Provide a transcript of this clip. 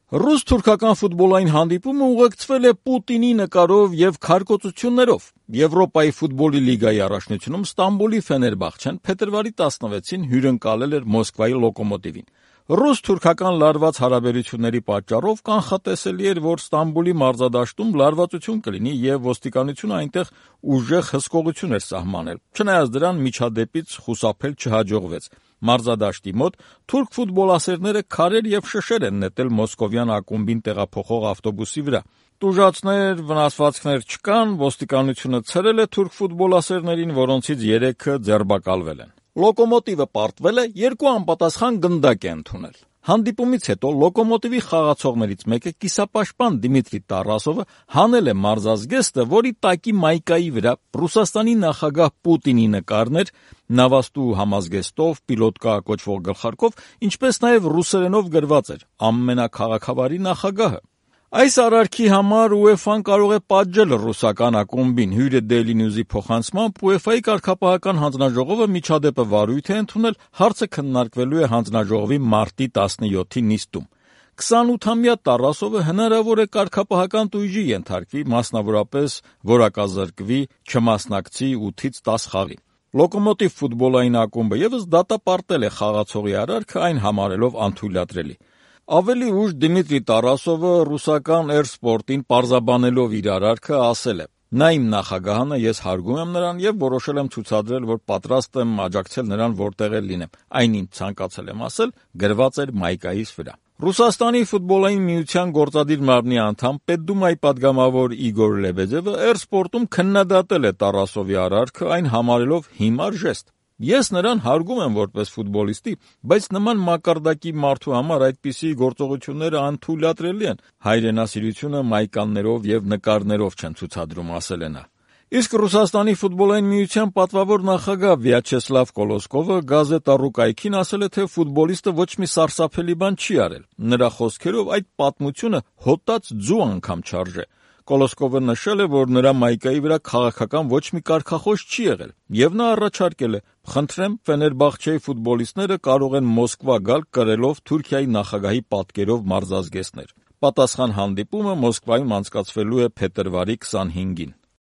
Ռուս-թուրքական ֆուտբոլային հանդիպումը ուղեկցվել է Պուտինի նկարով եւ քարկոծություններով։ Եվրոպայի ֆուտբոլի լիգայի առաջնությունում Ստամբուլի Ֆեներբախչեն փետրվարի 16-ին հյուրընկալել էր Մոսկվայի Լոկոմոտիվին։ Ռուս-թուրքական լարված հարաբերությունների պատճառով կանխատեսելի էր, որ Ստամբուլի մարզադաշտում լարվածություն կլինի եւ ոստիկանությունը այնտեղ ուժեղ հսկողություն էր սահմանել։ Չնայած դրան միջադեպից խուսափել չհաջողվեց։ Մարզադաշտի մոտ թուրք ֆուտբոլասերները քարեր եւ շշեր են նետել մոսկովյան ակումբին տեղափոխող ավտոբուսի վրա։ Տուժածներ, վնասվածքներ չկան, ոստիկանությունը ցրել է թուրք ֆուտբոլասերներին, որոնցից 3-ը ձերբակալվել են։ Լոկոմոտիվը պարտվել է 2 անպատասխան գնդակ է ընդունել։ Հանդիպումից հետո Լոկոմոտիվի խաղացողներից մեկը կիսապաշտպան Դիմիտրի Տարասովը հանել է մարզազգեստը, որի տակի մայկայի վրա Ռուսաստանի նախագահ Պուտինի նկարն էր, նավաստու համազգեստով, պիլոտկա կոչվող գլխարկով, ինչպես նաև ռուսերենով գրված էր «Ամենաքաղաքավարի նախագահը»։ Այս արարքի համար UEFA-ն կարող է պատժել ռուսական ակումբին։ Հյուրը Daily News-ի փոխանցմամբ UEFA-ի կարգապահական հանձնաժողովը միջադեպը վարույթ է ընդունել, հարցը քննարկվելու է հանձնաժողովի մարտի 17-ի նիստում։ 28-ամյա Տարասովը հնարավոր է կարգապահական տույժի ենթարկվի, մասնավորապես որակազրկվի, չմասնակցի 8-ից 10 խաղի։ Լոկոմոտիվ ֆուտբոլային ակումբը եւս դատապարտել է խաղացողի արարքը, այն համարելով անթույլատրելի։ Ավելի ուշ Դիմիտրի Տարասովը ռուսական Էրսպորտին պարզաբանելով իր արարքը ասել է. «Նա իմ նախագահն է, ես հարգում եմ նրան եւ որոշել եմ ցուցադրել, որ պատրաստ եմ աջակցել նրան որտեղ էլ լինեմ։ Այն ինչ ցանկացել եմ ասել, գրված էր մայկայիս վրա»։ Ռուսաստանի ֆուտբոլային միության գործադիր մարմնի անդամ, Պետդումայի падգամավոր Իգոր Լեբեդևը Էրսպորտում քննադատել է Տարասովի արարքը, այն համարելով հիմար ժեստ։ «Ես նրան հարգում եմ որպես ֆուտբոլիստի, բայց նման մակարդակի մարդու համար այդպիսի գործողությունները անթույլատրելի են, հայրենասիրությունը մայկաններով եւ նկարներով չեն ցուցադրում», ասել է նա։ Իսկ Ռուսաստանի ֆուտբոլային միության պատվավոր նախագահ Վյաչեսլավ Կոլոսկովը գազետա «Ռուկայքին» ասել է, թե ֆուտբոլիստը ոչ մի սարսափելի բան չի արել։ Նրա խոսքերով այդ պատմությունը հոտած ձու անգամ չարժե։ Կոլոսկովը նշել է, որ նրա մայկայի վրա քաղաքական ոչ մի կարգախոս չի եղել, եւ նա առաջարկել է. «Խնդրեմ, Ֆեներբախչեի ֆուտբոլիստները կարող են Մոսկվա գալ կրելով Թուրքիայի նախագահի պատկերով մարզազգեստներ»։ Պատասխան հանդիպումը Մոսկվայում անցկացվելու է փետրվարի 25-ին։